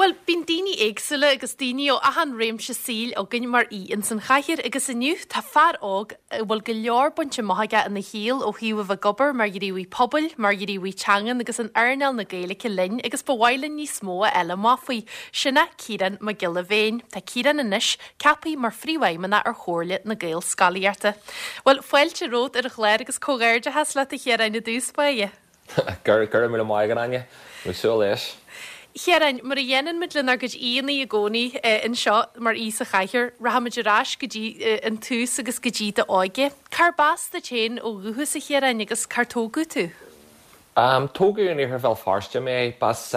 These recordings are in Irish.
Bhuel, bíonn daoine éagsúla agus daoine ó achan réimse saoil againn mar aoi ins an chathaoir agus inniu tá fear óg a bhfuil go leor bainte amach aige ina shaol ó thaobh a bheith ag obair mar ghníomhaí pobail, mar ghníomhaí teangan agus in earnáil na Gaeilge linn agus ba mhaith linn níos mó a fháil amach faoi. Sin é Ciarán Mac Giolla Bhéin. Tá Ciarán anois ceaptha mar Phríomhfheidhmeannach ar Chomhairle na Gaelscolaíochta. Bhuel, fáilte romhat ar an chlár agus comhghairdeachas leat a Chiaráin i dtús báire. Go raibh míle maith agat, Áine. Ag súil leis. Chiaráin, mar a dhéanann muid lenár gcuid aíonna i gcónaí anseo mar aoi sa chathaoir, rachaimid ar ais go dtí an tús agus go dtí d'óige. Cárb as duit féin ó dhúchas, a Chiaráin, agus cár tógadh tú? Tógadh in iarthar Bhéal Feirste mé. B'as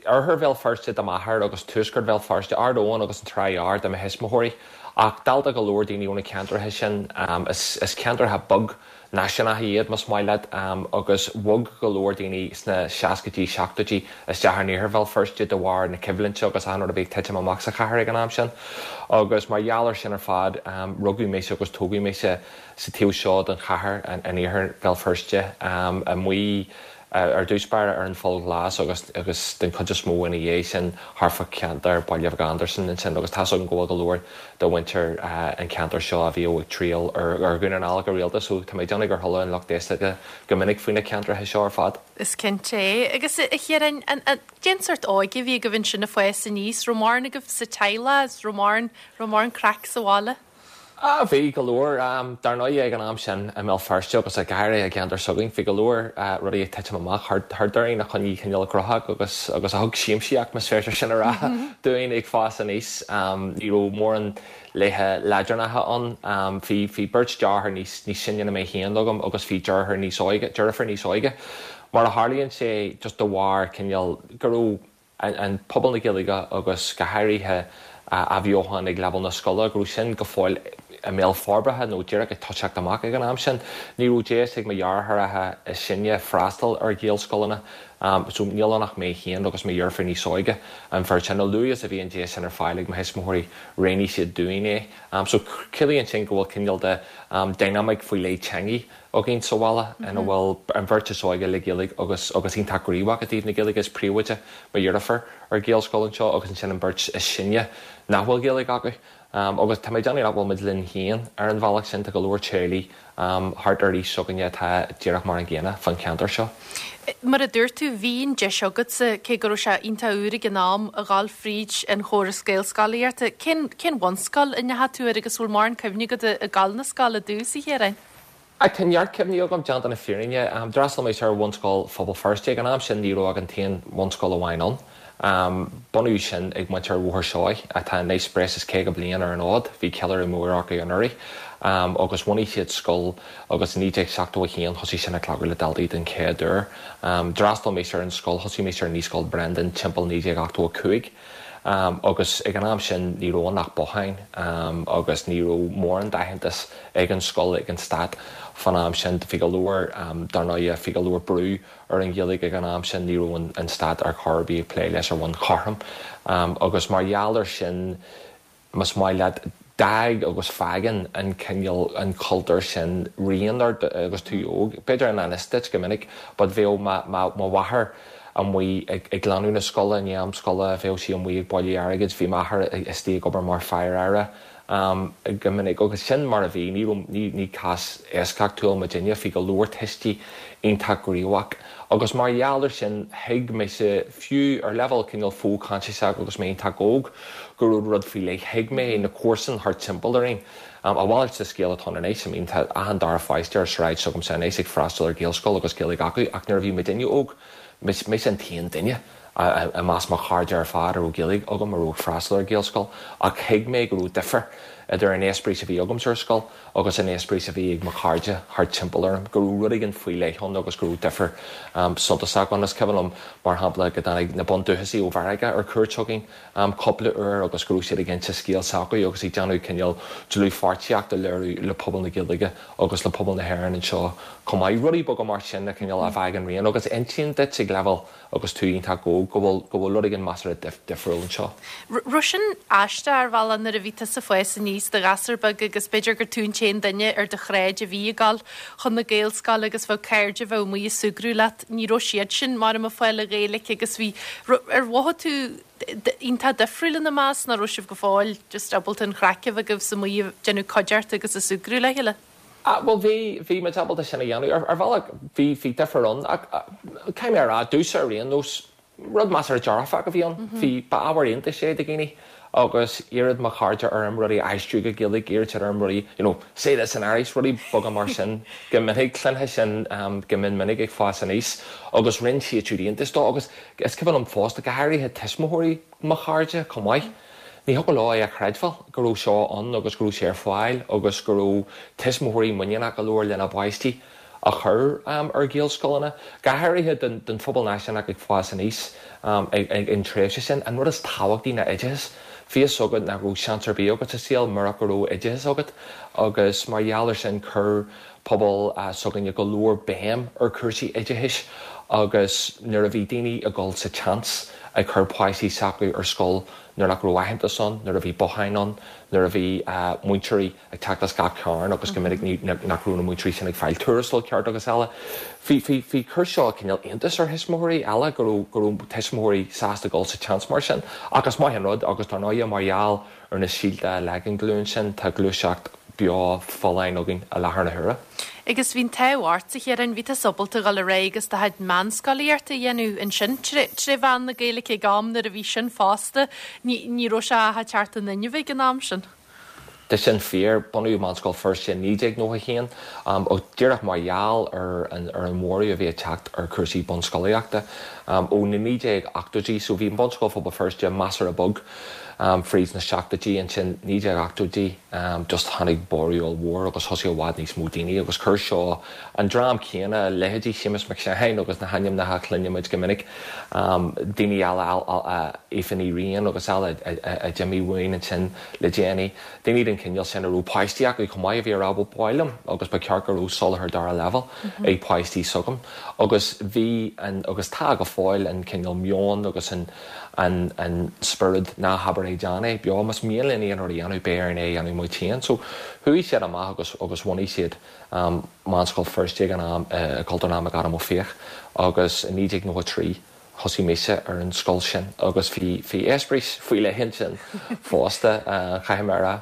Oirthear Bhéal Feirste do m'athair agus tuaisceart Bhéal Feirste, Ard Eoin agus an Trá Ghearr do mo thuismitheoirí. Ach dálta go leor daoine ó na ceantracha sin, is ceantracha beag náisiúnacha iad, más maith leat, agus bhog go leor daoine sna seascaidí, seachtóidí isteach in iarthar Bhéal Feirste de bharr na coimhlinte agus achan rud a bhí ag titim amach sa chathair ag an am sin. Agus mar gheall ar sin ar fad, rugadh mise agus tógadh mise sa taobh seo den chathair, in iarthar Bhéal Feirste, amuigh Ar dtús báire ar an Pholl Ghlas agus agus den chuid is mó ina dhiaidh sin thart fá cheantar Baile Bheag Andarsan ansin agus tá's agam go bhfuil go leor de mhuintir an cheantair seo a bhíodh ag triall ar Dhún na nGall go rialta so tá mé ag déanamh gur chuala an lucht éisteachta go minic faoi na ceantracha seo ar fad. Is cinnte é. Agus a Chiaráin, an, an, cén sórt óige a bhí agaibh ansin ag fás aníos? Raibh mórán agaibh sa teaghlach is raibh mórán, raibh mórán craic sa bhaile? Ah, bhí go leor. Dar ndóigh, ag an am sin i mBéal Feirste agus go háirithe i gceantar s'againn, bhí go leor rudaí ag titim amach thart orainn a choinnigh cineál gnóthach agus agus a thug siamsaíocht, más féidir sin a rá, dúinn ag fás aníos. Ní raibh mórán laetha leadránacha ann. Bhí bhí beirt deartháir níos níos sine ná mé féin agam agus bhí deartháir níos óige, deirfiúr níos óige. Mar a tharlaíonn sé, just de bharr cineál go raibh an pobal na Gaeilge agus go háirithe athbheochan ag leibhéal na scoile, go raibh sin go fóill i mbéal forbartha nó díreach ag toiseacht amach ag an am sin. Ní raibh deis ag mo dheartháireacha is sine freastal ar Ghaelscoileanna so níl ann ach mé féin agus mo dheirfiúr níos óige, an bheirt sin. A luaithe is a bhí an deis sin ar fáil ag mo thuismitheoirí, roghnaigh siad dúinn é. So ciallaíonn sin go bhfuil cineál de dynamic faoi leith teangaidh againn sa bhaile ina bhfuil an bheirt is óige le Gaeilge agus agus iontach gníomhach i dtaobh na Gaeilge. Is príomhoide mo dheirfiúr ar Ghaelscoil anseo agus ansin an bheirt is sine nach bhfuil Gaeilge acu. Agus tá mé ag déanamh nach bhfuil muid linn féin ar an bhealach sin, tá go leor teaghlaigh thart ar aois s'againne atá díreach mar an gcéanna fán cheantar seo. Mar a dúirt tú, bhí an deis agatsa, cé go raibh sé iontach úr ag an am, a dhul fríd an chóras Gaelscolaíochta. Cén cén bhunscoil a ndeachaigh tú air agus bhfuil mórán cuimhne agat ag dul na scoile i dtús, a Chiaráin? Tá neart cuimhní agam, déanta na fírinne. D'fhreastail mise ar Bhunscoil Phobal Feirste. Ag an am sin ní raibh ach an t-aon bhunscoil amháin ann. Bunaíodh sin ag muintir Bhóthar Seoighe, atá anois breis is 50 bliain ar an fhód. Bhí ceiliúradh mór acu anuraidh agus bhunaigh siad scoil agus i 1971 thosaigh sin ag glacadh le daltaí den chéad uair. D'fhreastail mise ar an scoil, thosaigh mise ar Naíscoil Brendan timpeall 1985. Agus ag an am sin ní raibh ann ach botháin agus ní raibh mórán d'aitheantas ag an scoil ag an stát fán am sin. Bhí go leor, dar ndóighe, bhí go leor brú ar an Ghaeilge ag an am sin, ní raibh an stát ar chor ar bith ag plé leis ar bhonn chothrom. Agus mar gheall ar sin, más maith leat, d'fhág agus fágann an cineál, an cultúr sin rian ort agus tú óg. B'fhéidir i ngan fhios duit go minic but bheadh mo mháthair amuigh ag glanadh na scoile i ndiaidh am scoile, bheadh sí amuigh ag bailiú airgid, bhí m'athair istigh ag obair mar fear aire go minic agus sin mar a bhí, ní raibh, ní, ní cás eisceachtúil muidinne, bhí go leor tuistí iontach gníomhach agus mar gheall ar sin thuig mise, fiú ar leibhéal cineál fo-choinsiasach agus mé iontach óg, go raibh rud faoi leith, thuig mé na comharsain thart timpeall orainn. A mhalairt de scéal atá ann anois, I mean tá achan dara pháiste ar sráid s'agamsa anois ag freastal ar Ghaelscoil agus Gaeilge acu ach nuair a bhí muidinne óg, mise an t-aon duine i measc mo chairde ar fad a raibh Gaeilge agam a raibh ag freastal ar Ghaelscoil ach thuig mé go raibh difear idir an eispéireas a bhí agamsa ar scoil agus an eispéireas a bhí ag mo chairde thart timpeall orm, go raibh rud éigin faoi leith ann agus go raibh difear suntasach ann. Is cuimhin liom, mar shampla, go dtáinig na bundúchasaigh ó Mheiriceá ar cuairt chugainn cúpla uair agus go raibh siad ag inse scéal s'acu agus ag déanamh cineál dlúthpháirtíocht a léiriú le pobal na Gaeilge agus le pobal na hÉireann anseo chomh maith. Rudaí beaga mar sin a cineál a fhágann rian agus a insíonn duit ag leibhéal agus tú iontach óg go bhfuil go bhfuil rud éigin measartha difriúil anseo. Raibh sin aisteach ar bhealach nuair a bhí tusa ag fás aníos i do ghasúr beag agus b'fhéidir gur tú an t-aon duine ar do shráid a bhí ag dul chun na Gaelscoile agus bheadh cairde a bheadh amuigh ag súgradh leat, ní raibh siad sin mar ag fáil an Ghaeilge agus bhí, ar mhothaigh tú. iontach difriúil ina measc, nach raibh sibh go fóill just ábalta an chraic a bheith agaibh is amuigh ag déanamh cuideachta agus ag súgradh le chéile? Ah, bhuel bhí, bhí muid ábalta sin a dhéanamh. Ar, ar bhealach bhí, bhí difear ann ach caithfidh mé a rá, domhsa ar aon nós, Rud measartha dearfach a bhí ann. Bhí, ba ábhar iontais é do dhaoine agus d'iarradh mo chairde orm rudaí a aistriú go Gaeilge, d'iarradh siad orm rudaí, you know, say this in Irish, rudaí beaga mar sin go minic, cluinfeá sin go mion minic ag fás aníos agus rinne siad siúd iontas dó agus is cuimhin liom fosta, go háirithe tuismitheoirí mo chairde chomh maith, ní thiocfadh leo é a chreidbheáil go raibh seo ann agus go raibh sé ar fáil agus go raibh tuismitheoirí muiníneach go leor lena bpáistí. a chur ar Ghaelscoileanna, go háirithe don phobal náisiúnach ag fás aníos ag an tréimhse sin. An rud is tábhachtaí ná oideachas. Bhí fhios agat nach raibh seans ar bith agat sa saol murach go raibh oideachas agat agus mar gheall ar sin chuir pobal s'againne go leor béim ar chúrsaí oideachais agus nuair a bhí daoine ag dul sa tseans ag cur páistí s'acu ar scoil nuair nach raibh aitheantas ann, nuair a bhí botháin ann, nuair a bhí múinteoirí ag teacht as gach cearn agus go minic ní nach raibh na múinteoirí sin ag fáil tuarastal ceart agus eile. Bhí, bhí, bhí, chuir seo cineál iontas ar thuismitheoirí eile go raibh, go raibh tuismitheoirí sásta dul sa tseans mar sin. Ach is maith an rud agus dar ndóighe mar gheall ar na síolta a leag an ghlúin sin tá gluaiseacht beo folláin againn i láthair na huaire. Agus bhí an t-ádh ort, a Chiaráin, bhí tusa ábalta a dhul ar aghaidh agus do chuid meánscolaíochta a dhéanamh ansin tré mheán na Gaeilge ag am nuair a bhí sin fosta, ní, ní raibh sé ach ag teacht in inmhe ag an am sin. Tá sin fíor. Bunaíodh Meánscoil Feirste i 1991 ach díreach mar gheall ar an ar an bhorradh a bhí ag teacht ar chúrsaí bunscolaíochta ó na 1980idí. So bhí Bunscoil Phobal Feirste measartha bog fríd na seachtóidí. Ansin 1980idí just tháinig borradh ollmhór agus thosaigh i bhfad níos mó daoine agus chuir seo an dream céanna, leithéidí Séamus Mac Seáin agus na hainmneacha a chluinimid go minic, daoine eile, Aoife Ní Riain agus eile a d'imigh uainn ansin le déanaí, daoine den chineál sin a raibh páistí acu chomh maith a bhí ag rá bhuel ba mhaith liom agus ba cheart go raibh soláthar dara leibhéal ag páistí s'agam agus bhí an, agus tá go fóill, an cineál meon agus an an an spiorad ná habair é déan é beo, más mian linn aon rud a dhéanamh beidh orainn é a dhéanamh muid féin. So chuaigh siad amach agus agus bhunaigh siad Meánscoil Feirste ag an am i Cultúrlann McAdam Ó Fiaich agus i 1993 Thosaigh mise ar an scoil sin agus bhí bhí eispéireas faoi leith ansin fosta, caithfidh mé a rá.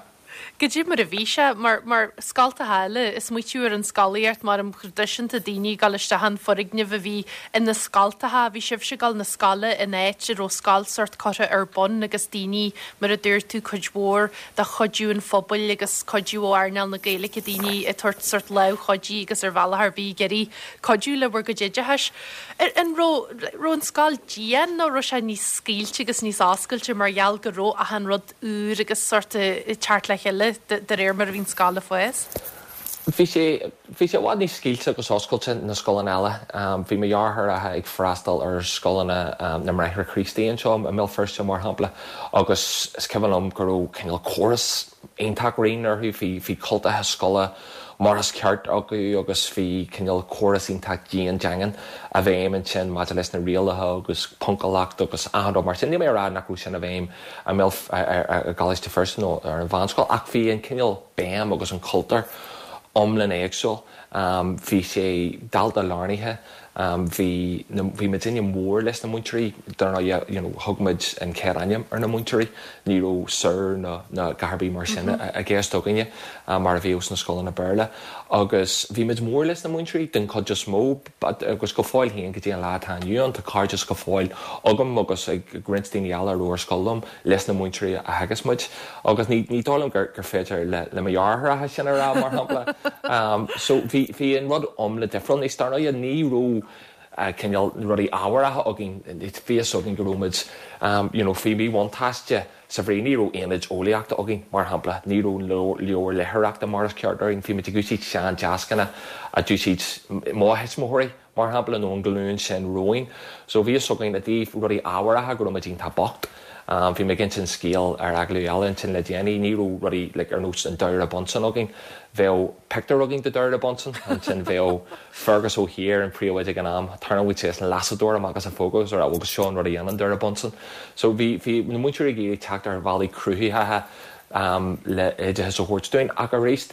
Goidé mar a bhí sé, mar, mar scoltacha eile, ag smaoitiú ar an scolaíocht mar am thraidisiúnta daoine ag dul isteach in foirgneamh a bhí ina scoltacha, bhí sibhse ag dul na scoile in áit a raibh scoil sórt curtha ar bun agus daoine, mar a dúirt tú, cuid mhór de chuidiú an phobail agus cuidiú ó earnáil na Gaeilge, daoine ag tabhairt sórt lámh chuidí agus ar bhealach ar bith ag iarraidh cuidiú le bhur gcuid oideachais. An raibh, raibh an scoil dian nó raibh sé níos scaoilte agus níos oscailte mar gheall go raibh achan rud úr agus sórt ag teacht le chéile de réir mar a bhí an scoil ag fás? Bhí sé, bhí sé i bhfad níos scaoilte agus oscailte ná scoileanna eile. Bhí mo dheartháireacha ag freastal ar scoileanna na mBráithre Críostaí anseo i mBéal Feirste mar shampla agus is cuimhin liom go raibh cineál córas iontach righin orthu. Bhí, bhí cultacha scoile mar is ceart acu agus bhí cineál córas iontach dian daingean i bhfeidhm ansin maidir leis na rialacha agus poncúlacht agus achan rud mar sin. Níl mé ag rá nach raibh sin i bhfeidhm i mBéal, i gColáiste Feirste nó ar an mheánscoil ach bhí an cineál béim agus an cultúr iomlán éagsúil. Bhí sé dalta-lárnaithe. Bhí na, bhí muidinne mór leis na múinteoirí, dar ndóigh, you know, thug muid an chéad ainm ar na múinteoirí, ní raibh Sir ná ná a dhath ar bith mar sin i gceist againne mar a bhíodh sna scoileanna Béarla. Agus bhí muid mór leis na múinteoirí den chuid is mó agus go fóill féin go dtí an lá atá inniu ann tá cairdeas go fóill agam agus ag roinnt daoine eile a raibh ar scoil liom leis na múinteoirí a theagasc muid agus ní ní dóigh liom gur gur féidir le le mo dheartháireacha sin a rá mar shampla. So bhí bhí an rud iomlán difriúil. Anois dar ndóigh ní raibh cineál rudaí ábharacha againn, bhí fhios againn go raibh muid you know faoi mhíbhuntáiste sa bhrí ní raibh aonaid eolaíochta againn mar shampla, ní raibh leabhair léitheoireachta mar is ceart orainn, bhí muid ag úsáid sean-deascanna a d'úsáid mo thuismitheoirí. mar shampla, nó an ghlúin sin romhainn. So bhí fhios againn i dtaobh rudaí ábharacha go raibh muid iontach bocht. Bhí mé ag insint scéal ar agallamh eile ansin le déanaí, ní raibh rudaí like ar nós an doire Bunsen againn. Bheadh pictiúr againn de doire Bunsen, ansin bheadh Fergus Ó hÍr, an príomhoide ag an am, tharraingeodh sé an lasadóir amach as a phóca agus a rá agus seo an rud a dhéanann doire Bunsen. So bhí, bhí na múinteoirí ag iarraidh teacht ar bhealaí cruthaitheacha le oideachas a thabhairt dúinn ach arís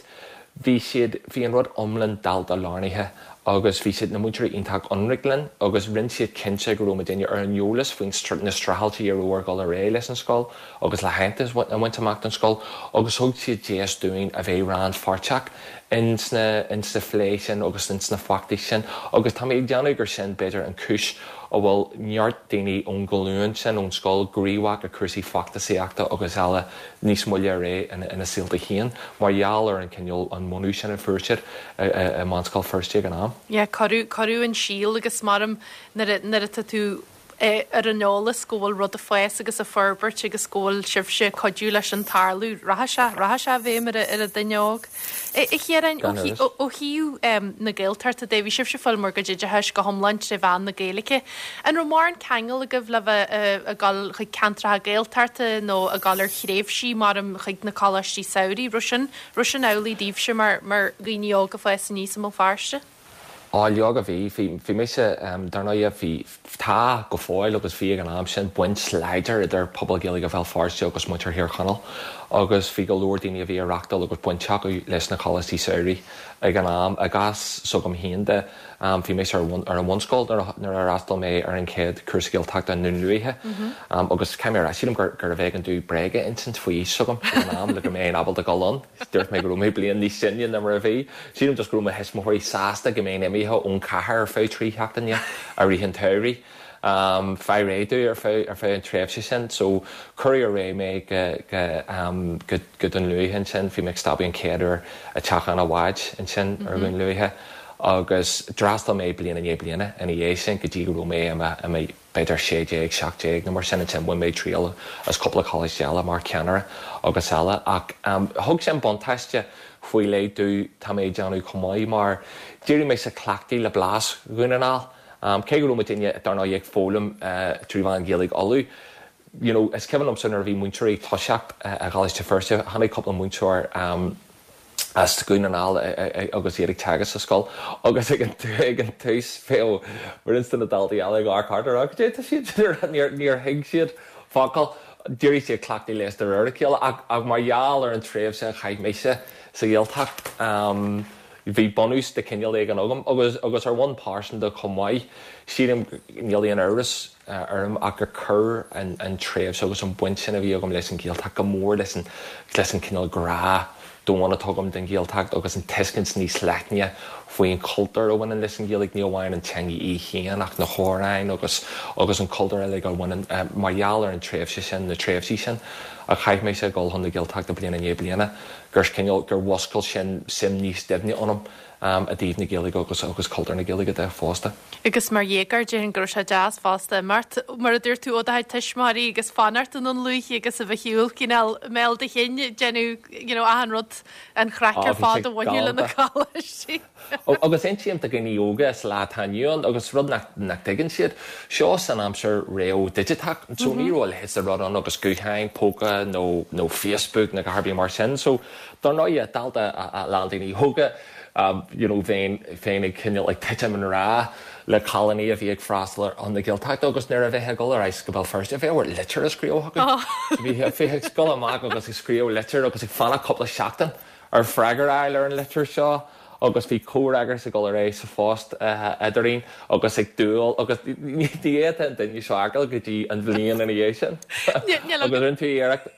bhí siad, bhí an rud iomlán dalta-lárnaithe. Agus bhí siad, na múinteoirí, iontach ionraic linn agus rinne siad cinnte go raibh muidinne ar an eolas faoin na streachailtí a raibh ar dhul ar aghaidh leis an scoil agus le haitheantas a bhaint amach don scoil agus thug siad deis dúinn a bheith rannpháirteach ins na ins na phlé sin agus ins na feachtais sin agus tá mé ag déanamh gur sin b'fhéidir an chúis a bhfuil neart daoine ón ghlúin sin ón scoil gníomhach i cúrsaí feachtasaíochta agus eile níos moille ar aghaidh ina saolta féin mar gheall ar an cineál, an bunú sin a fuair siad i mBunscoil Feirste ag an am. Yeah, cuireadh, cuireadh an síol agus maram nuair a, nuair atá tú ar an eolas go bhfuil rud ag fás agus ag forbairt agus go bhfuil sibhse ag cuidiú leis an tarlú, rachaidh sé, rachaidh sé i bhfeidhm ar an duine óg. A Chiaráin, ó thaobh na Gaeltachta de, bhí sibhse ag fáil bhur gcuid oideachais go hiomlán tré mheán na Gaeilge. An raibh mórán ceangal agaibh le bheith ag dul chuig ceantracha Gaeltachta nó ag dul ar thréimhsí maram chuig na coláistí samhraidh? Raibh sin, raibh sin amhlaidh daoibhse mar, mar dhaoine óga ag fás aníos i mBéal Feirste? Á, leoga bhí. Bhí, bhí mise, dar ndóigh, bhí, tá go fóill agus bhí ag an am sin, baint láidir idir pobal Gaeilge Bhéal Feirste agus muintir Thír Chonaill agus bhí go leor daoine a bhí ag reachtáil agus baint acu leis na coláistí samhraidh ag an am. I gcás s'agam féin de, bhí mise ar ar an bhunscoil nuair a nuair a fhreastail mé ar an chéad cúrsa Gaeltachta i nDún Lúiche agus caithfidh mé a rá, sílim gur gurbh éigean domh bréag a insint faoi aois s'agam ag an am le go mbeinn ábalta dul ann. Dúirt mé go raibh mé bliain níos sine ná mar a bhí. Sílim just go raibh mo thuismitheoirí sásta go mbeinn imithe ón chathair ar feadh 3 sheachtaine i rith an tsamhraidh. Fáil réidh domh ar feadh ar feadh an tréimhse sin. So cuireadh ar aghaidh mé go go go go Dún Lúiche ansin. Bhí mé ag stopadh an chéad uair i dteach an bháid ansin ar Dhún Lúiche agus d'fhreastail mé bliain i ndiaidh bliana ina dhiaidh sin go dtí go raibh mé i mo i mo b'fhéidir 16, 17 nó mar sin, ansin bhain mé triail as cúpla coláiste eile mar cheannaire agus eile ach thug sin buntáiste faoi leith domh, tá mé ag déanamh chomh maith mar d'éirigh mise cleachtaithe le blas Dhún na nGall. Cé go raibh muidinne dar ndóigh ag foghlaim trí mheán Ghaeilge Uladh, you know is cuimhin liomsa nuair a bhí múinteoirí ag toiseacht i gColáiste Feirste, tháinig cúpla múinteoir, as Dún na nGall agus iad ag teagasc sa scoil agus ag an ag an tús bheadh roinnt de na daltaí eile ag amharc thart ag rá cad é atá siad ag rá níor níor thuig siad focal. D'éirigh siad cleachtaithe leis de réir a chéile ach ach mar gheall ar an tréimhse a chaith mise sa Ghaeltacht bhí bunús de chineál éigin agam agus agus ar bhonn pearsanta chomh maith sílim níl aon amhras orm ach gur chuir an tréimhse agus an bhaint sin a bhí agam leis an Ghaeltacht go mór leis an leis an cineál grá domhain atá agam don Ghaeltacht agus an tuiscint níos leithne faoin chultúr a bhaineann leis an Ghaeilge, ní amháin an teanga í féin ach na hamhráin agus agus an cultúr uilig a bhaineann mar gheall ar an tréimhse sin, na tréimhsí sin a chaith mise ag dul chun na Gaeltachta bliain i ndiaidh bliana, gur cineál gur mhuscail sin suim níos doimhne ionam. i dtaobh na Gaeilge agus agus cultúr na Gaeilge de fosta. Agus mar dhéagóir, déarfainn go raibh sé deas fosta imeacht, mar a dúirt tú, ó do chuid tuismitheoirí agus fanacht i nDún Lúiche agus a bheith ar shiúl cineál i mbéal do chinn, ag déanamh you know achan rud, an chraic ar fad a bhaineadh le na coláistí. Agus insím do dhaoine óga sa lá atá inniu ann agus rud nach nach dtuigeann siad, seo san aimsir roimh digiteach so ní raibh a leithéid de rud ann agus gutháin póca nó nó Facebook nó a dhath ar bith mar sin so Dar ndóigh, dalta a lán daoine óga, you know, bheinn féin ag cineál ag titim i ngrá le cailíní a bhí ag freastal ar na Gaeltachta agus nuair a bheifeá ag dul ar ais go Béal Feirste, bheadh ort litir a scríobh chucu. Bhí ag dul amach agus ag scríobh litir agus ag fanacht cúpla seachtain ar freagra a fháil ar an litir seo. agus bhí comhfhreagras ag dul ar aghaidh sa phost eadrainn agus ag dúil agus ní fhéadfadh an duine seo a fheiceáil go dtí an bhliain ina dhiaidh sin. Agus rinne tú iarracht.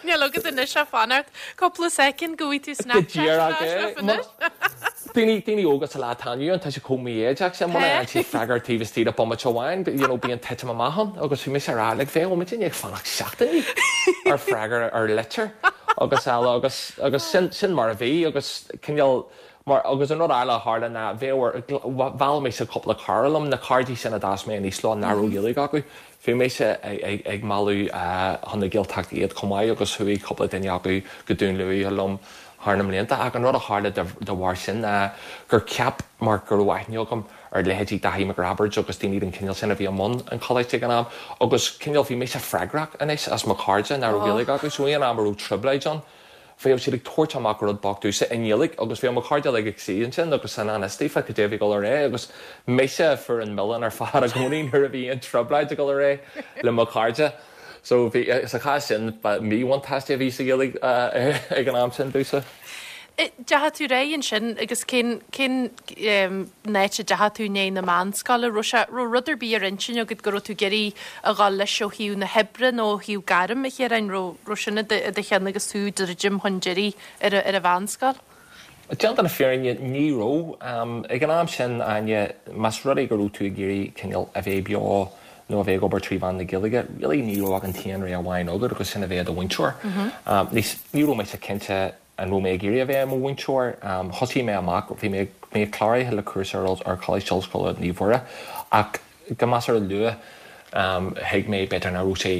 Níl agat anois ach fanacht cúpla soicind go bhfaighidh tú Snapchat ar ais leat anois. Daoine, daoine óga sa lá atá inniu ann, tá sé chomh mífhoighdeach sin, muna fhaigheann siad freagra taobh istigh de bomaite amháin, you know, bíonn titim amach ann agus bhí mise ag rá, like, bheadh muidinne ag fanacht seachtainí ar freagra ar litir. agus eile agus agus sin sin mar a bhí agus cineál mar agus an rud eile a tharla ná bheadh mheall mise cúpla cara liom, na cairde sin a d'fhás mé aníos leo nach raibh Gaeilge acu. Bhí mise ag ag mealladh chun na Gaeltachta iad chomh maith agus chuaigh cúpla duine acu go Dún Lúiche liom thar na mblianta ach an rud a tharla de bharr sin ná gur cheap mar go raibh aithne agam ar leithéidí Daithí Mac Roibeaird agus daoine den chineál sin a bhí i mbun an choláiste ag an am agus cineál bhí mise freagrach anois as mo chairde nach raibh Gaeilge acu so aon am a raibh trioblóid ann bheadh siad ag tabhairt amach rud bocht domhsa i nGaeilge agus bheadh mo chairde uilig ag suí ansin agus san fhios daofa cad é a bhí ag dul ar aghaidh agus mise a fuair an milleán ar fad i gcónaí nuair a bhí aon trioblóid ag dul ar aghaidh le mo chairde. So bhí, sa chás sin, ba míbhuntáiste a bhí sa Ghaeilge ag an am sin domhsa. Deachaigh tú ar aghaidh ansin agus cén, cén áit a dteachaigh tú i ndiaidh na meánscoile? Raibh sé, raibh rud ar bith ar intinn agat go raibh tú ag iarraidh a dhul leis ó thaobh na hoibre nó ó thaobh gairm, a Chiaráin? Raibh, raibh sin i do, i do cheann agus tú ag druidim chun deiridh ar an, ar an mheánscoil? Déanta na fírinne, ní raibh. Ag an am sin, Áine, más rud é go raibh tú ag iarraidh cineál a bheith beo nó a bheith ag obair trí mheán na Gaeilge, really ní raibh ach an t-aon rogha amháin agat agus sin a bheith i do mhúinteoir. Ní raibh mise cinnte an raibh mé ag iarraidh a bheith i mo mhúinteoir. Thosaigh mé amach, bhí mé mé cláraithe le cúrsa ar Choláiste Ollscoile Naomh Mhuire ach go measartha luath thuig mé b'fhéidir nach raibh sé,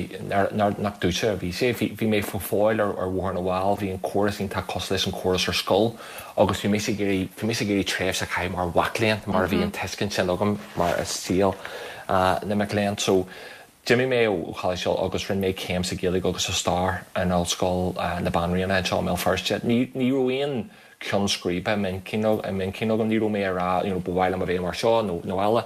nach domhsa a bhí sé. Bhí mé go fóill ar Bhóthar na bhFál, bhí an córas iontach cosúil leis an chóras ar scoil agus bhí mise ag iarraidh, bhí mise ag iarraidh tréimhse a chaitheamh mar mhac léinn mar bhí an tuiscint sin agam mar is saol na mac léinn. So d'imigh mé ó Choláiste agus rinne mé céim sa Ghaeilge agus sa Stair in Ollscoil na Banríona anseo i mBéal Feirste. Ní raibh aon ceann scríbe i m'intinn agam, ní raibh mé ag rá you know ba mhaith liom a bheith mar seo nó nó eile.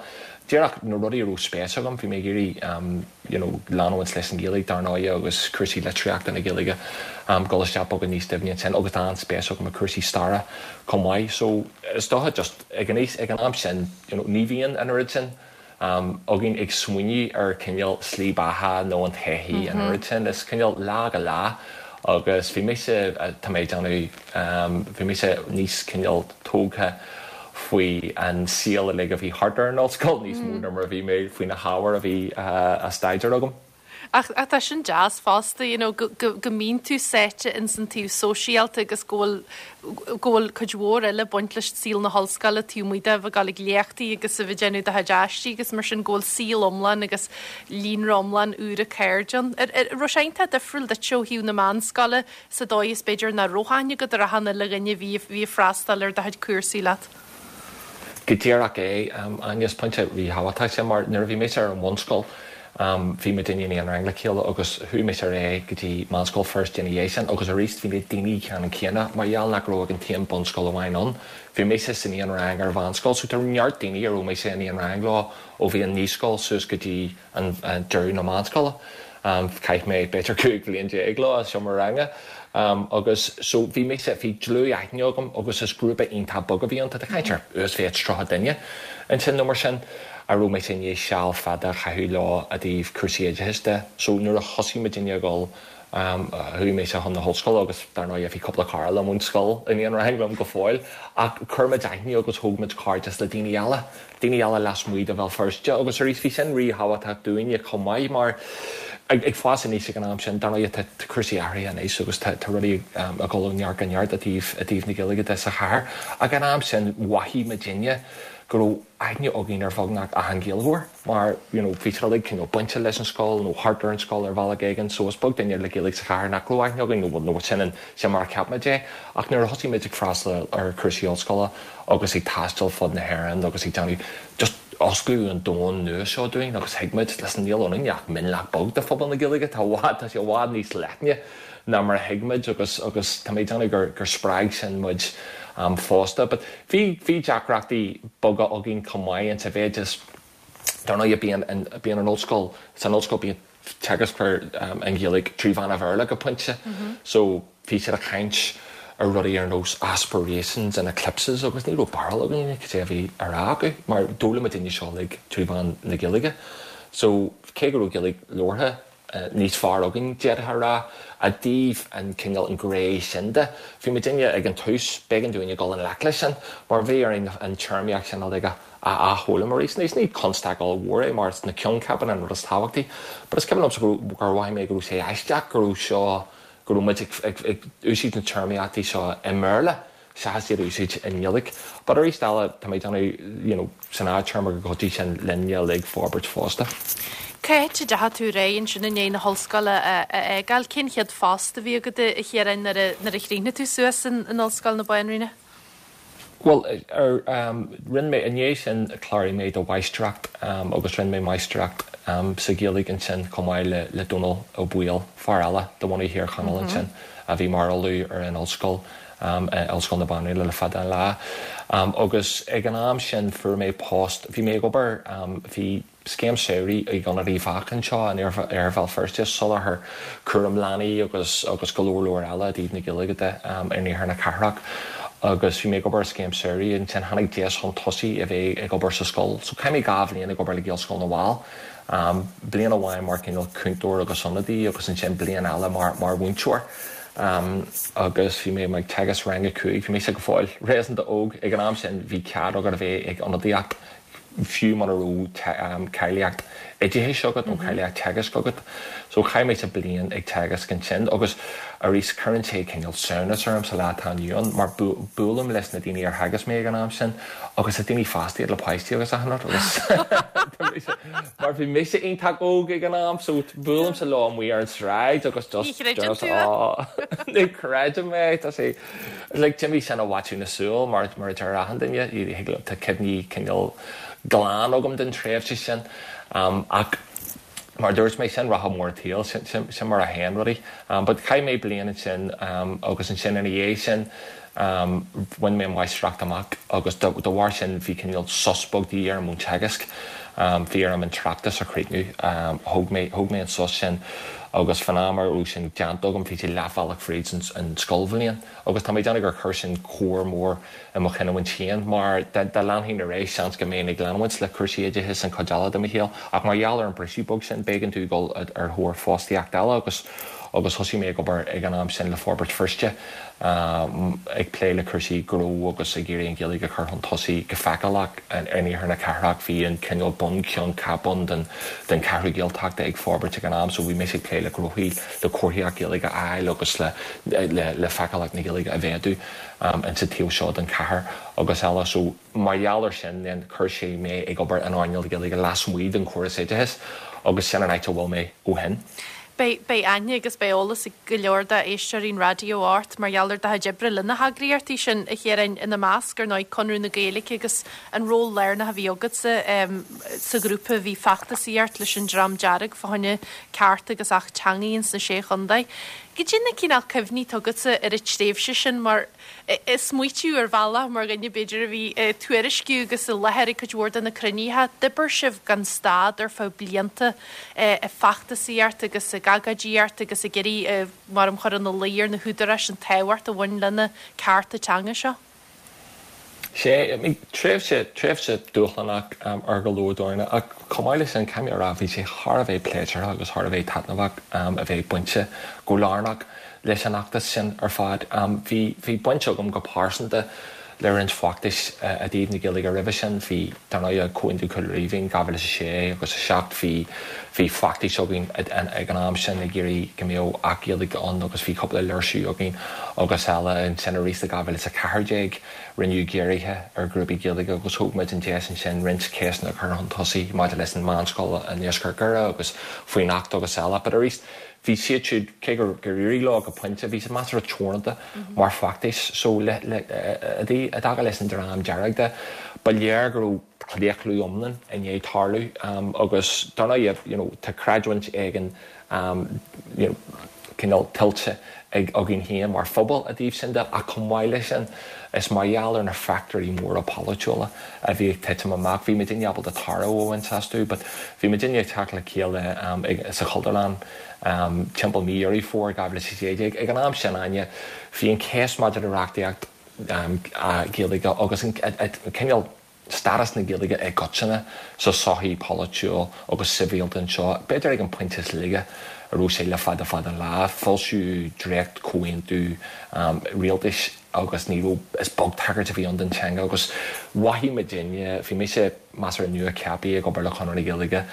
Díreach na rudaí a raibh spéis agam, bhí mé ag iarraidh you know leanúint leis an Ghaeilge dar ndóigh agus cúrsaí litríochta na Gaeilge, dul isteach beagán níos doimhne ansin agus tá an-spéis agam i cúrsaí staire chomh maith. So is dócha just ag an aois, ag an am sin you know ní bhíonn an oiread sin againn ag smaoineamh ar cineál slí beatha nó an todhchaí an oiread sin. Is cineál lá go lá agus bhí mise, tá mé ag déanamh, bhí mise níos cineál tógtha faoi an saol uilig a bhí thart ar an ollscoil níos mó ná mar a bhí mé faoi na hábhair a bhí á staidéar agam. Ach tá sin deas fosta, you know, go, go, go mbíonn tú sáite ins an taobh sóisialta agus go bhfuil, go bhfuil cuid mhór eile ag baint leis saol na hollscoile taobh amuigh de bheith ag dul ag léachtaí agus a bheith ag déanamh do chuid aistí agus mar sin, go bhfuil saol iomlán agus líonra iomlán úr cairde ann. Ar, ar, raibh sé iontach difriúil duit ó thaobh na meánscoile sa dóigh is b'fhéidir nach raibh aithne agat ar achan uile dhuine a bhí, bhí ag freastal ar do chuid cúrsaí leat? Go díreach é, Áine, is pointe ríthábhachtach sin mar nuair a bhí mise ar an bhunscoil bhí muidinne in aon rang le chéile agus chuaigh mise ar aghaidh go dtí Meánscoil Feirste ina dhiaidh sin agus arís bhí na daoine ceannann céanna mar gheall nach raibh ach an t-aon bunscoil amháin ann bhí mise san aon rang ar mheánscoil so tá neart daoine a raibh mise in aon rang leo ó bhí an naíscoil suas go dtí an deireadh na meánscoile. Chaith mé b'fhéidir 15 bhliain leo i seomra ranga agus so bhí mise, bhí dlúth-aithne agam agus is grúpa iontach beag a bhí ann, tá tú ag caint ar uasmhéid 30 duine ansin nó mar sin, a raibh mise i ndiaidh seal fada a chaitheamh leo i dtaobh cúrsaí oideachais de. So nuair a thosaigh muidinne ag dul, chuaigh mise chun na hollscoile agus dar ndóigh bhí cúpla cara liom ón scoil in aon rang liom go fóill ach chuir muid aithne agus thóg muid cairdeas le daoine eile. daoine eile lasmuigh de Bhéal Feirste agus arís bhí sin ríthábhachtach dúinne chomh maith mar ag fás aníos ag an am sin, dar ndóigh tá cúrsaí athraithe anois agus tá rudaí ag dul ó neart go neart i dtaobh i dtaobh na Gaeilge de sa chathair ach ag an am sin mhothaigh muidinne go raibh aithne againn ar bheagnach achan Ghaeilgeoir mar you know bhí siad uilig cineál bainte leis an scoil nó thart ar an scoil ar bhealach éigin so is beag duine le Gaeilge sa chathair nach raibh aithne againn nó nó sin an sin mar a cheap muid é ach nuair a thosaigh muid ag freastal ar chúrsaí ollscoile agus ag taisteal fud na hÉireann agus ag déanamh just osclaíodh an domhan nua seo dúinn agus thuig muid, listen, níl ionainn ach mionlach beag de phobal na Gaeilge, tá i bhfad, tá sé i bhfad níos leithne ná mar a thuig muid agus, agus tá mé ag déanamh gur, gur spreag sin muid fosta. But bhí, bhí deacrachtaí beaga againn chomh maith in sa mhéid is, dar ndóigh bíonn an, bíonn an ollscoil, san ollscoil bíonn teagascfar an Ghaeilge trí mheán an Bhéarla go pointe so bhí siad ag caint ar rudaí ar nós aspirations and eclipses agus ní raibh barúil againn cad é a bhí á rá acu mar d'fhoghlaim muidinne seo uilig trí mheán na Gaeilge so cé go raibh Gaeilge labhartha níos fearr againn d'fhéadfá a rá i dtaobh an cineál an ghné sin de bhí muidinne ag an tús b'éigean dúinn a dhul i ngleic leis sin mar bhí orainn an téarmaíocht sin uilig a a athfhoghlaim arís. Anois, ní constaic ollmhór é mar is na coincheapa an rud is tábhachtaí. But is cuimhin liomsa go raibh, gur mhothaigh mé go raibh sé aisteach go raibh seo, go raibh muid ag, ag, ag úsáid na téarmaíochtaí seo i mBéarla seachas iad a úsáid i nGaeilge. But arís eile, tá mé ag déanamh, you know, san fhadtéarma gur chuidigh sin linne uilig forbairt fosta. Cá háit a dteachaigh tú ar aghaidh ansin i ndiaidh na hollscoile a fhágáil? Cén chéad phost a bhí agat a Chiaráin nuair a, nuair a chríochnaigh tú suas in, in Ollscoil na Banríona? Bhuel, ar, rinne mé, i ndiaidh sin chláraigh mé do mháistreacht agus rinne mé máistreacht sa Ghaeilge ansin chomh maith le, le Dónal Ó Baoill, fear eile de bhunadh Thír Chonaill ansin a bhí mar ollamh ar an ollscoil, Ollscoil na Banríona le fada an lá. Agus ag an am sin fuair mé post, bhí mé ag obair, bhí, Scéim Samhraidh ag Ionad Uíbh Eachach anseo in Iarthar Bhéal Feirste, ag soláthar cúram leanaí agus agus go leor leor eile i dtaobh na Gaeilge de in iarthar na cathrach. Agus bhí mé ag obair ar scéim samhraidh, ansin tháinig deis chun tosaigh a bheith ag obair sa scoil. So chaith mé 2 bhliain ag obair le Gaelscoil na bhFál. Bliain amháin mar cineál cúntóir agus ionadaí agus ansin bliain eile mar mar mhúinteoir. Agus bhí mé ag teagasc rang a 5, bhí mise go fóill réasúnta óg ag an am sin, bhí cead agat a bheith ag ionadaíocht fiú muna raibh cáilíocht oideachais agat nó cáilíocht teagaisc agat. So chaith mise bliain ag teagasc ansin agus arís cuireann sé cineál samhnas orm sa lá atá inniu ann mar buailim leis na daoine ar theagasc mé ag an am sin agus is daoine fásta iad le páistí agus achan rud agus mar bhí mise iontach óg ag an am so buailimse leo amuigh ar an sráid agus just Ní chreideann tú é? Ní chreidim é tá sé Like, d'imigh sin i bhfaiteadh na súl, mar mar a deir achan duine, thig liom, tá cuimhní cineál glan agam den tréimhse sin. Ach mar a dúirt mé, sin rotha mór an tsaoil, sin, sin, sin mar a théann rudaí. But chaith mé bliain ansin agus ansin ina dhiaidh sin, bhain mé máistreacht amach agus de, de bharr sin bhí cineál sos beag de dhíth orm ón teagasc. Bhí orm an tráchtas a chríochnú. Thóg mé, thóg mé an sos sin. Agus fán am a raibh sin déanta agam bhí sé leathbhealach fríd an scoilbhliain agus tá mé ag déanamh gur chuir sin cor mór i mo chinniúint féin mar dá leanfainn ar aghaidh seans go mbeinn ag leanúint le cúrsaí oideachais an chuid eile de mo shaol ach mar gheall ar an briseadh beag sin b'éigean domh dul ar thóir fostaíocht eile agus agus thosaigh mé ag obair ag an am sin le Forbairt Feirste ag plé le cúrsaí gnó agus ag iarraidh an Ghaeilge a chur chun tosaigh go feiceálach in iarthar na cathrach. Bhí an cineál bun ceann ceap ann den den Cheathrú Gaeltachta ag forbairt ag an am so bhí mise ag plé le gnóthaí le comharthaíocht Ghaeilge a fháil agus le le feiceálacht na Gaeilge a mhéadú insa taobh seo den chathair agus eile so Mar gheall ar sin then chuir sé mé ag obair in earnáil na Gaeilge lasmuigh den chóras oideachais agus sin an áit a bhfuil mé ó shin. Beidh, beidh aithne agus beidh eolas ag go leor d'éisteoirí an raidió ort mar gheall ar do chuid oibre le na heagraíochtaí sin, a Chiaráin, ina measc, ar ndóigh, Conradh na Gaeilge agus an ról lárnach a bhí agatsa sa ghrúpa a bhí ag feachtasaíocht leis an Dream Dearg fá choinne cearta agus Acht Teanga ins na Sé Chontae. Goidé na cineál cuimhní atá agatsa ar an tréimhse sin mar Ag smaoitiú ar bhealach, mar dhuine b'fhéidir a bhí ag tuairisciú agus i láthair ag cuid mhór de na cruinnithe, d'oibir sibh gan stad ar feadh blianta ag feachtasaíocht agus ag agóidíocht agus ag iarraidh, mar a chur ina luí ar na húdaráis an tábhacht a bhain le na cearta teanga seo. Sea, tréimhse, tréimhse dúshlánach ar go leor dóigheanna ach chomh maith leis sin, caithfidh mé a rá, bhí sé thar a bheith pléisiúrtha agus thar a bheith taitneamhach a bheith bainte go lárnach leis an fheachtas sin ar fad. Bhí, bhí baint agam go pearsanta le roinnt feachtais i dtaobh na Gaeilge roimhe sin. Bhí, dar ndóigh, Comhaontú Chúil Rímhinn 2006 agus 7, bhí, bhí feachtais againn ag an am sin ag iarraidh go mbeadh Acht Gaeilge ann agus bhí cúpla léirsiú againn agus eile. Ansin arís i 2014 rinneadh giorruithe ar ghrúpaí Gaeilge agus thóg muid an deis ansin roinnt ceisteanna a chur chun tosaigh maidir leis an meánscoil i ndeisceart Dhoire agus faoin Acht agus eile. But arís, Bhí siad siúd, cé gur éirigh leo go pointe, bhí siad measartha teoranta mar feachtais. So, le, le, i dtaca leis an Dream Dearg de, ba léir go raibh claochlú iomlán i ndiaidh tarlú agus dar ndóigh, you know, tá creidiúint éigin, you know, cineál tuillte ag, againn féin mar phobal i dtaobh sin de ach chomh maith leis sin, is mar gheall ar na fachtóirí móra polaitiúla a bhí ag titim amach. Bhí muidinne ábalta tairbhe a bhaint astu but bhí muidinne ag teacht le chéile sa Chultúrlann timpeall mí Dheireadh Fómhair 2016. Ag an am sin, Áine, bhí an cheist maidir le reachtaíocht Ghaeilge agus an cineál stádas na Gaeilge i gcoitinne sa sochaí pholaitiúil agus sibhialta anseo, b'fhéidir ag an pointe is laige a raibh sé le fada fada an lá. Foilsíodh dréacht-chomhaontú rialtais agus ní raibh, is beag tagairt a bhí ann don teanga agus mhothaigh muidinne, bhí mise measartha nua-cheaptha ag obair le Conradh na Gaeilge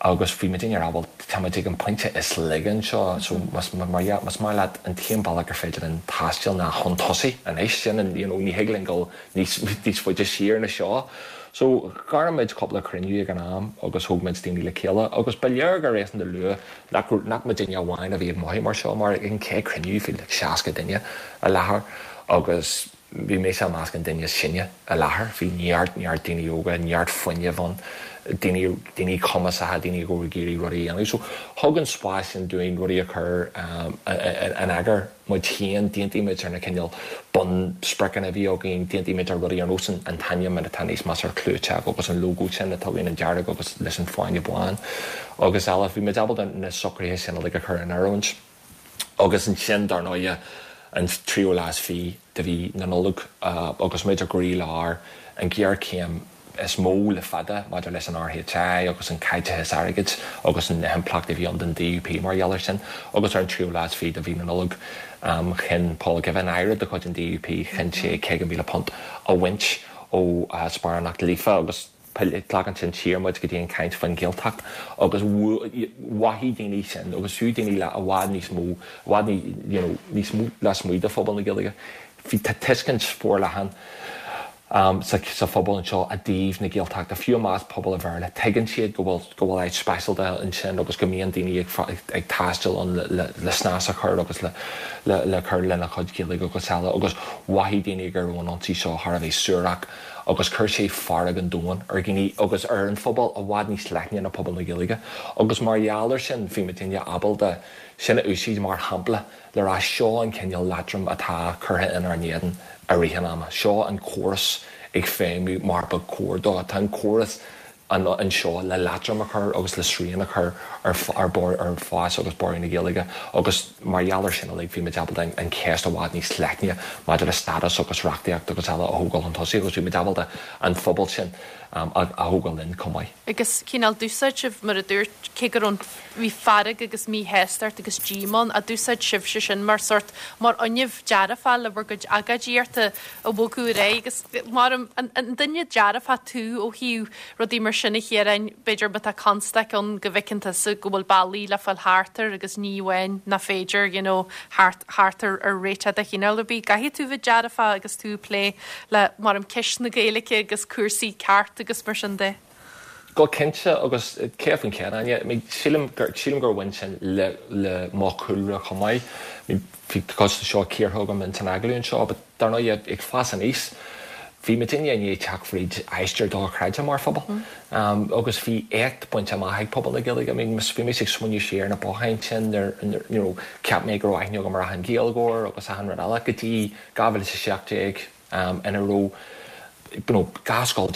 agus bhí muidinne ag rá bhuel tá muid ag an pointe is laige anseo so más más maith leat an t-aon bealach gur féidir linn taisteal ná chun tosaigh anois, sin an, you know, ní thig linn dul níos níos faide siar ná seo. So ghair muid cúpla cruinniú ag an am agus thóg muid daoine le chéile agus ba léir go réasúnta luath nach nach muidinne amháin a bhí ag mothú mar seo mar ag an chéad chruinniú bhí like 60 duine i láthair agus bhí mise i measc an duine is sine i láthair. Bhí neart neart daoine óga, neart fuinnimh ann, daoine daoine cumasacha, daoine a raibh ag iarraidh rudaí a dhéanamh. So thug an spás sin dúinn rudaí a chur in eagar muid féin, d'aontaigh muid ar na cineál bunspriocanna a bhí againn, d'aontaigh muid ar rudaí ar nós an t-ainm atá níos measartha clúiteach agus an lógó sin atá againn, an dearg agus leis an fáinne bán agus eile. Bhí muid ábalta na socruithe sin uilig a chur in oiriúint agus ansin, dar ndóighe. an tríú lá is fiche de mhí na Nollag agus muid i gcroílár an ghéarchéim is mó le fada maidir leis an RHI agus an caiteachas airgid agus na himpleachtaí a bhí ann don DUP mar gheall air sin agus ar an tríú lá is fiche de mhí na Nollag chinn Paul Givan, Aire de chuid an DUP, chinn sé £50,000 a bhaint ó sparánacht Líofa agus Glacann sin siar muid go dtí an chaint faoin Ghaeltacht agus mhothaigh daoine sin agus fiú daoine le i bhfad níos mó, i bhfad you know níos mó lasmuigh de phobal na Gaeilge. Bhí, tá tuiscint forleathan sa sa phobal anseo i dtaobh na Gaeltachta, fiú i measc pobal an Bhéarla, tuigeann siad go bhfuil go bhfuil áit speisialta ansin agus go mbíonn daoine ag ag taisteal ann le le le snas a chur agus le le le cur lena chuid Gaeilge agus eile agus mhothaigh daoine go raibh an ionsaí seo thar a bheith suarach. agus chuir sé fearg an domhain ar dhaoine agus ar an phobal i bhfad níos leithne ná pobal na Gaeilge agus mar gheall air sin bhí muidinne ábalta sin a úsáid mar shampla le rá seo an cineál leatrom atá curtha inár n-éadan i rith an ama, seo an córas ag feidhmiú mar ba chóir dó, tá an córas anseo le leatrom a chur agus le srian a chur ar ar fás agus borradh na Gaeilge agus mar gheall air sin uilig bhí muid ábalta an cheist i bhfad níos leithne maidir le stádas agus reachtaíocht agus eile a thógáil chun tosaigh agus bhí muid ábalta an phobal sin a thógáil linn chomh maith. Agus cineál d'úsáid sibh, mar a dúirt, cé go raibh an, bhí fearg agus míshástacht agus díomá ann, ach d'úsáid sibhse sin mar sórt, mar fhuinneamh dearfach le bhur gcuid agóidíochta a bhogadh ar aghaidh agus mar an duine dearfach tú ó thaobh rudaí mar sin a Chiaráin, b'fhéidir má tá constaic ann go bhfeiceann tusa go bhfuil bealaí le fáil thart air agus ní amháin nach féidir you know thart thart ar ar réiteach de chineál ar bith. Caithfidh tú bheith dearfach agus tú ag plé le mar ceist na Gaeilge agus cúrsaí ceart agus mar sin de. Go cinnte, agus 100%, Áine. I mean, sílim gur, sílim gur bhain sin le, le mo chúlra chomh maith. I mean, bhí cuid de seo cíortha agam ins an agallamh anseo, but dar ndóigh, ag fás aníos, bhí muidinne i ndiaidh teacht fríd aistear dochreidte mar phobal. Agus bhí éacht bainte amach ag pobal na Gaeilge. I mean, bhí mise ag smaoineamh siar ar na botháin sin nuair, you know, cheap mé go raibh aithne agam ar achan Ghaeilgeoir agus achan rud eile go dtí 2017 ina raibh, you know, 12 scoil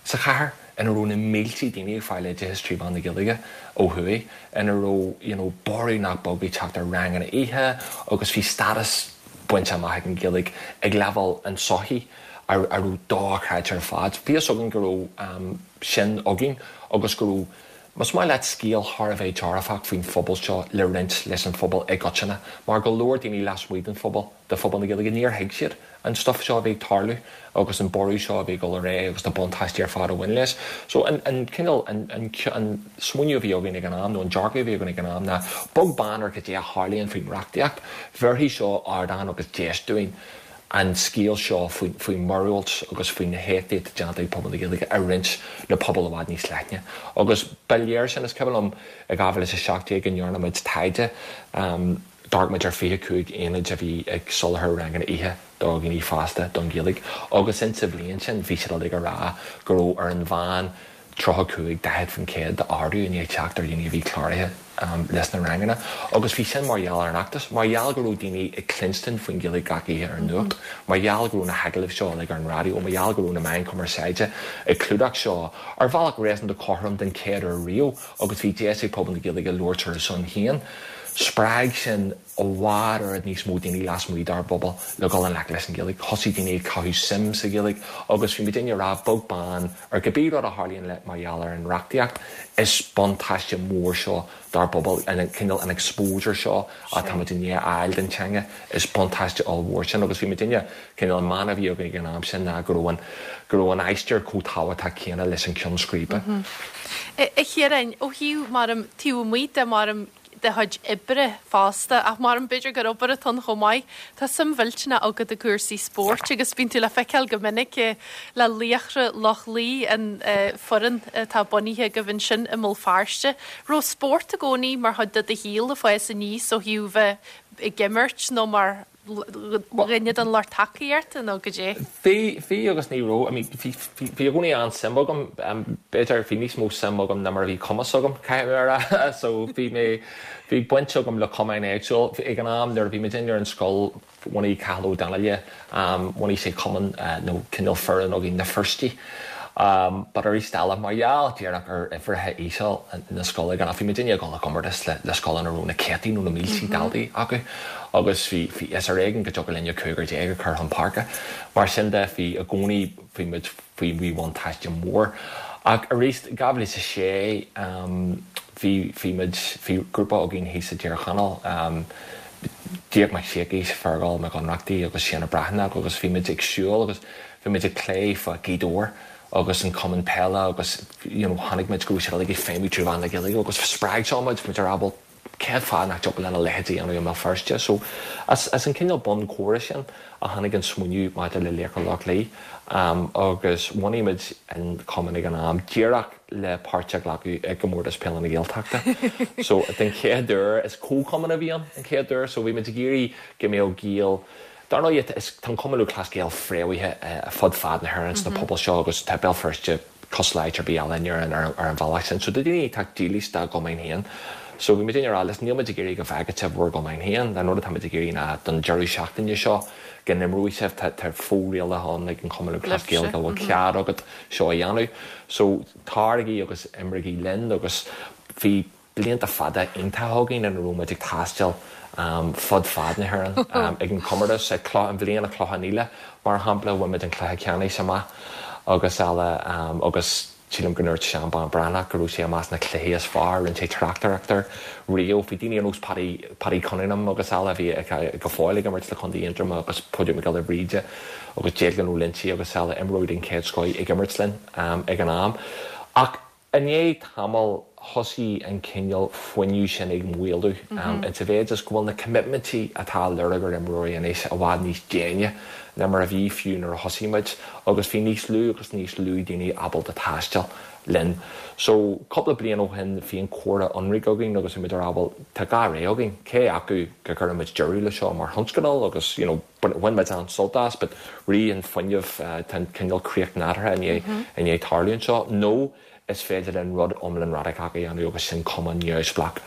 sa chathair ina raibh na mílte daoine ag fáil oideachas trí mheán na Gaeilge ó thuaidh, ina raibh you know borradh nach beag ag teacht ar ranganna oíche agus bhí stádas bainte amach ag an Ghaeilge ag leibhéal an tsochaí a raibh dochreidte ar fad. Bhí fhios againn go raibh sin againn agus go raibh, más maith leat, scéal thar a bheith dearfach faoin phobal seo le roinnt leis an phobal i gcoitinne mar go leor daoine lasmuigh den phobal, de phobal na Gaeilge, níor thuig siad an stuif seo a bhí ag tarlú agus an borradh seo a bhí ag dul ar aghaidh agus na buntáistí ar fad a bhain leis. So an, an cineál, an, an, an smaoineamh a bhí againn ag an am, nó an dearcadh a bhí againn ag an am ná, beag beann ar cad é a tharlaíonn faoin reachtaíocht, bhéarfaidh seo ardán agus deis dúinn an scéal seo faoin, faoin mhíorúilt agus faoi na héachtaí atá déanta ag pobal na Gaeilge a roinnt le pobal i bhfad níos leithne. Agus ba léir sin, is cuimhin liom i 2017 go ndearna muid taighde, D'amharc muid ar 25 aonad a bhí ag soláthar ranganna oíche do dhaoine fásta don Ghaeilge agus insa bhliain sin bhí siad uilig ag rá go raibh ar an mheán 35, 40% d'ardú i ndiaidh teacht ar dhaoine a bhí cláraithe leis na ranganna agus bhí sin mar gheall ar an fheachtas, mar gheall go raibh daoine ag cluinstin faoin Ghaeilge gach oíche ar an nuacht, mar gheall go raibh na hagallaimh seo uilig ar an raidió, mar gheall go raibh na meáin chumarsáide ag clúdach seo ar bhealach réasúnta cothrom den chéad uair riamh. agus bhí deis ag pobal na Gaeilge labhairt ar a son féin. Spreag sin i bhfad oiread níos mó daoine lasmuigh dár bpobal le dhul i ngleic leis an Ghaeilge. Thosaigh daoine ag caitheamh suim sa Ghaeilge agus bhí muidinne ag rá, beag beann ar cibé rud a tharlaíonn le mar gheall ar an reachtaíocht, is buntáiste mór seo dár bpobal, an cineál an exposure seo atá muid i ndiaidh a fháil don teanga, is buntáiste ollmhór sin agus bhí muidinne Cineál an mana a bhí againn ag an am sin ná go raibh an, go raibh an aistear chomh tábhachtach céanna leis an ceann scríbe. A Chiaráin, ó thaobh, maram, taobh amuigh de, maram, do chuid oibre fosta, ach maram, b'fhéidir gur obair atá ann chomh maith, tá suim mhillteanach agat i gcúrsaí spóirt agus bíonn tú le feiceáil go minic le Laochra Loch Lao, an foireann atá bunaithe agaibh ansin i mBéal Feirste. Raibh spórt i gcónaí mar chuid de do shaol ag fás aníos ó thaobh bheith ag imirt nó mar dhuine den lucht tacaíochta nó goidé? Bhí, bhí agus ní raibh. I mean, bhí, bhí, bhí i gcónaí an-suim agam, b'fhéidir, bhí níos mó suim agam ná mar a bhí cumas agam, caithfidh mé a rá. So bhí mé, bhí baint agam le cumainn éagsúil. Ag an am nuair a bhí muid ar an scoil, bhunaigh Cathal Ó Donnaile, bhunaigh sé cumann nó cineál foireann againn, na Feirstigh. But arís eile, mar gheall díreach ar uimhreacha íseal na scoile ag an am, bhí muidinne ag dul i gcomórtas le scoileanna a raibh na céadtaí nó na míltí daltaí acu agus bhí, bhí, is ar éigean go dtiocfadh linne cúigear déag a chur chun páirce. Mar sin de, bhí i gcónaí, bhí muid faoi mhíbhuntáiste mór. Ach arís, 2006, bhí, bhí muid, bhí grúpa againn thíos i dTír Chonaill, Díarmaid Mac Siacais, Fearghal Mac Ionnrachtaigh agus Séanna Breathnach agus bhí muid ag siúl agus bhí muid ag plé fá Gaoth Dobhair agus an cumann peile agus you know chonaic muid go raibh siad uilig ag feidhmiú trí mheán na Gaeilge agus spreag seo muid, muid ag rá bhuel cén fáth nach dtiocfadh linn a leithéid a dhéanamh i mBéal Feirste? So as as an cineál bun comhrá sin a tháinig an smaoineamh maidir le Laochra Loch Lao agus bhunaigh muid an cumann ag an am díreach le páirt a ghlacadh i gComórtas Peile na Gaeltachta. So den chéad uair, is comhchumann a bhí ann an chéad uair, so bhí muid ag iarraidh go mbeadh Gaeil, dar ndóigh tá an Cumann Lúthchleas Gael fréamhaithe fud fad na hÉireann sna pobail seo agus tá Béal Feirste cosúil le áit ar bith eile in Éirinn ar an bhealach sin. So tá daoine ag teacht dílis dá gcumainn féin. So bhí muid ag rá, listen, níl muid ag iarraidh go bhfágfaidh sibh bhur gcumainn féin, an rud atá muid ag iarraidh ná don deireadh seachtaine seo go n-imreoidh sibh, tá fo-rialacha ann ag an Chumann Lúthchleas Gael go bhfuil cead agat seo a dhéanamh. So taraigí agus imrígí linn agus bhí blianta fada iontacha againn ina raibh muid ag taisteal fud fad na hÉireann ag an chomórtas, ag an bhliain i Clochán Íle mar shampla, bhain muid an cluiche ceannais amach agus eile agus sílim go ndúirt Seán Bán Breathnach go raibh sé i measc na cluichí is fearr, rinne sé tráchtaireacht air riamh. Bhí daoine ar nós Paddy, Paddy Cunningham agus eile a bhí go fóill ag imirt le Contae Aontroma agus Pádraig Mac Giolla Bhríde agus Declan Ó Loinsigh agus eile, imreoirí den chéad scoith ag imirt linn ag an am. Ach i ndiaidh tamaill thosaigh an cineál fuinneamh sin ag maolú insa mhéid is go bhfuil na coimitmintí atá á lorg ar imreoirí anois i bhfad níos déine ná mar a bhí fiú nuair a thosaigh muid agus bhí níos lú agus níos lú daoine ábalta taisteal linn. So, cúpla bliain ó shin bhí an comhrá ionraic againn agus bhí muid ag rá bhuel tá dhá rogha againn, cé acu go gcuireann muid deireadh le seo mar thionscadal agus you know bhain muid an-sult as but rith an fuinneamh tá an cineál críoch nádúrtha i ndiaidh i ndiaidh tarlú anseo nó is féidir linn rud iomlán radacach a dhéanamh agus sin cumann neamhspleách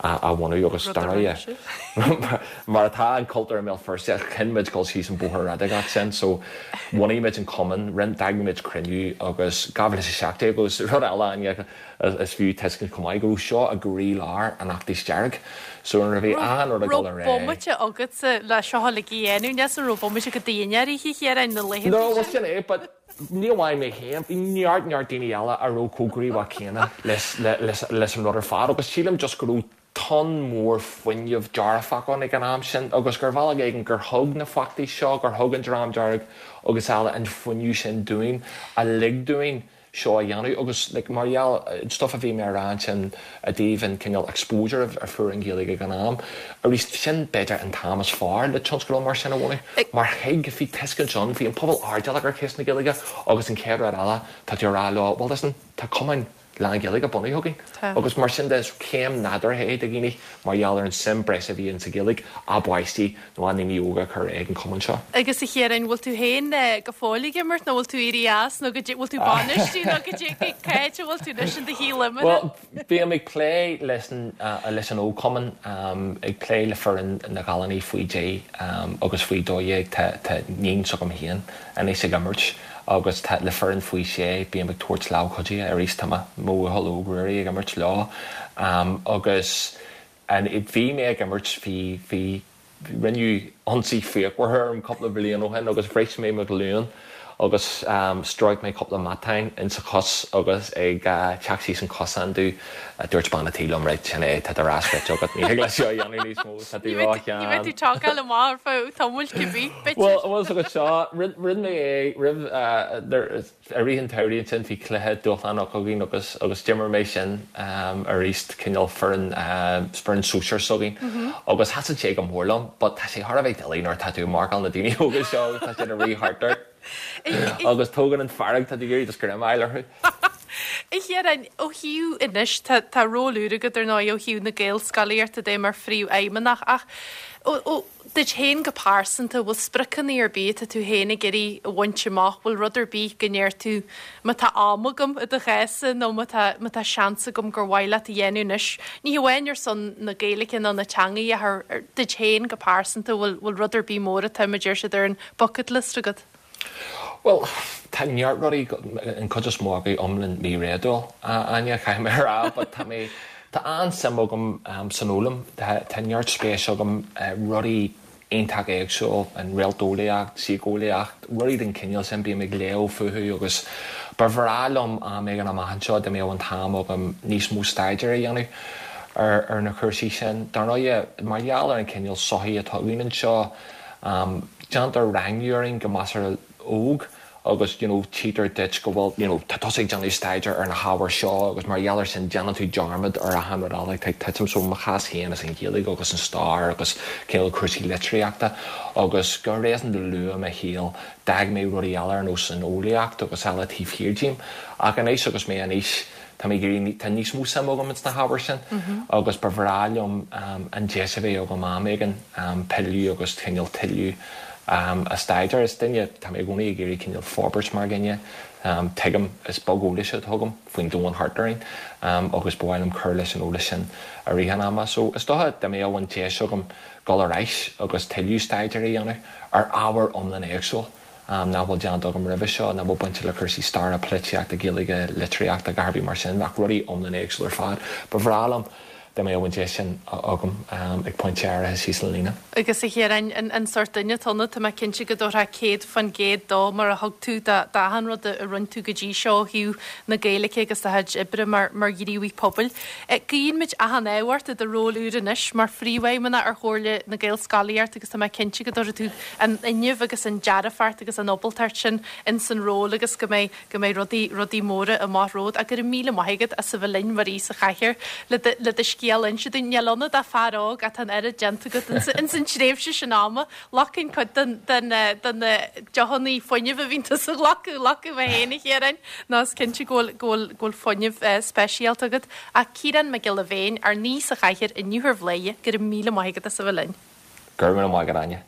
a bhunú agus dar ndóigh mar atá an cultúr i mBéal Feirste chinn muid dul síos an bóthar radacach sin so bhunaigh muid an cumann, d'eagraigh muid cruinniú agus 2017 agus rud eile Áine is fiú tuiscint chomh maith go raibh seo i gcroílár an fheachtais dearg so nuair a bhí achan rud ag dul ar aghaidh. Raibh bomaite agatsa le seo uilig a dhéanamh, ní raibh bomaite agat d'aon áirithe a Chiaráin na laethanta No, well sin é but Ní amháin mé féin, bhí neart, neart daoine eile a raibh chomh gníomhach céanna leis an rud ar fad agus sílim just go raibh tonn mór fuinnimh dearfach ann ag an am sin agus gur bhealach éigin gur thug na feachtais seo, gur thug an Dream Dearg agus eile an fuinneamh sin dúinn a lig dúinn seo a dhéanamh agus like mar gheall an stuff a bhí mé a rá ansin i dtaobh an cineál exposure a fuair an Ghaeilge ag an am, arís sin b'fhéidir an t-am is fearr le tionscadal mar sin a bhunú mar thuig, bhí tuiscint ann, bhí an pobal airdeallach ar cheist na Gaeilge agus an chéad rud eile tá tú a rá leo well listen tá cumann lán-Ghaeilge bunaithe againn agus mar sin de is céim nádúrtha é do dhaoine mar gheall ar an suim breise a bhí in sa Ghaeilge a bpáistí nó a ndaoine óga a chur ag an chumann seo. Agus a Chiaráin, bhfuil tú féin go fóill ag imirt nó bhfuil tú éirithe as nó go bhfuil tú ag bainistiú nó go cá háit a bhfuil tú anois in do shaol imeartha? Bhuel, bím ag plé leis an leis an ógchumann, ag plé le foireann na gcailíní faoi 10 agus faoi 12, tá tá níon s'agam féin anois ag imirt agus tá le foireann faoi 6 bím ag tabhairt lámhchuidithe arís tá mo mo bhuachaill óg Ruairí ag imirt leo agus An bhí mé ag imirt bhí bhí rinneadh ionsaí fíochmhar orm cúpla bliain ó shin agus bhris mé mo ghlúin agus stróic mé cúpla matán insa chos agus ag teacht síos an cosán domh dúirt bean a' tí liom right sin é tá do rás rite agat ní thig leat seo a dhéanamh níos mó tá tú ró-shean. Ní bheidh tú ag tógáil amach ar feadh tamaill cibé, b'fhéidir. Bhuel bhfuil 's agat seo rinne mé é roimh I rith an tsamhraidh ansin bhí cluiche dúshlánach againn agus agus d'imir mé sin arís cineál foireann foireann sóisear s'againn agus thaitin sé go mór liom but tá sé thar a bheith doiligh nuair atá tú ag marcáil na daoine óga seo agus tá siad ag rith thart ort agus tógann an fearg tá tú ag iarraidh just greim a fháil orthu. A Chiaráin, ó thaobh anois tá tá ról úr agat ar ndóigh ó thaobh na Gaelscolaíochta de mar phríomhfheidhmeannach ach ó ó Duit féin go pearsanta, bhfuil spriocanna ar bith atá tú féin ag iarraidh a bhaint amach? Bhfuil rud ar bith go ndeir tú, má tá am agam i do chás-sa nó má tá, má tá seans agam gur mhaith leat a dhéanamh anois, ní hamháin ar son na Gaeilge nó na teangaí ach ar, ar, duit féin go pearsanta, bhfuil, bhfuil rud ar bith mór atá, mar a deir siad, ar an bucket list agat? Bhuel, tá neart rudaí, an chuid is mó acu iomlán míréadúil, a Áine, caithfidh mé a rá, but tá mé, tá an-suim agam san fhoghlaim, tá neart spéis agam rudaí iontach éagsúil, an réalteolaíocht, síceolaíocht, rudaí den chineál sin, bím ag léamh fúthu agus ba bhreá liom am éigin amach anseo dá mbeadh an t-am agam níos mó staidéir a dhéanamh ar na cúrsaí sin. Dar ndóigh, mar gheall ar an chineál sochaí atá againn anseo, Déantar rangú orainn go measartha óg agus you know tchítear duit go bhfuil you know tá tusa ag déanamh staidéir ar na hábhair seo agus mar gheall air sin déanann tú dearmad ar achan rud eile atá ag titim. So mo chás féin is an Ghaeilge agus an stair agus cineál cúrsaí litríochta agus go réasúnta luath i mo shaol d'fhág mé rudaí eile ar nós an eolaíocht agus eile taobh thiar díom ach anois agus mé in aois Tá mé ag iarraidh, tá níos mó suime agam ins na hábhair sin agus ba bhreá liom an deis a bheith agam am éigin pilleadh agus cineál tuilleadh a staidéar. Is duine, tá mé i gcónaí ag iarraidh cineál forbairt mar dhuine. Tuigim, is beag eolais atá agam faoin domhan thart orainn agus ba mhaith liom cur leis an eolas sin i rith an ama. So is dócha dá mbeadh an deis agam dul ar ais agus tuilleadh staidéir a dhéanamh ar ábhar iomlán éagsúil, nach bhfuil déanta agam roimhe seo, nach bhfuil bainte le cúrsaí staire, polaitíochta, Gaeilge, litríochta, a dhath ar bith mar sin, ach rudaí iomlán éagsúil ar fad. Ba bhreá liom dá mbeadh an deis sin agam ag pointe áirithe síos an líne. Agus a Chiaráin, an sórt duine atá ionat, tá mé cinnte go dtabharfá 100% dó mar a thug tú d'achan rud a rinne tú go dtí seo ó thaobh na Gaeilge agus do chuid oibre mar ghníomhaí pobail. Guíonn muid achan ádh ort i do ról úr anois mar Phríomhfheidhmeannach ar Chomhairle na Gaelscolaíochta agus tá mé cinnte go dtabharfaidh tú an fhuinneamh agus an dearfacht agus an ábaltacht sin ins an ról agus go mbeidh, go mbeidh rudaí, rudaí móra amach romhat. Ach go raibh míle maith agat as a bheith linn mar aoi sa chathaoir le do, le do scéal a inse dúinn. Níl ionat ach fear óg ach tá an oiread déanta agat ins, ins an tréimhse sin ama. Glacann cuid den, den, den na deochanna fuinnimh a bhíonn tusa a ghlacadh, ghlacadh mé féin a Chiaráin, nó is cinnte go bhfuil, go bhfuil, go bhfuil fuinneamh speisialta agat. Ach Ciarán Mac Giolla Bhéin, ár n-aoi sa chathaoir inniu ar Bhladhaire, go raibh míle maith agat as a bheith linn. Go raibh míle maith agat, Áine.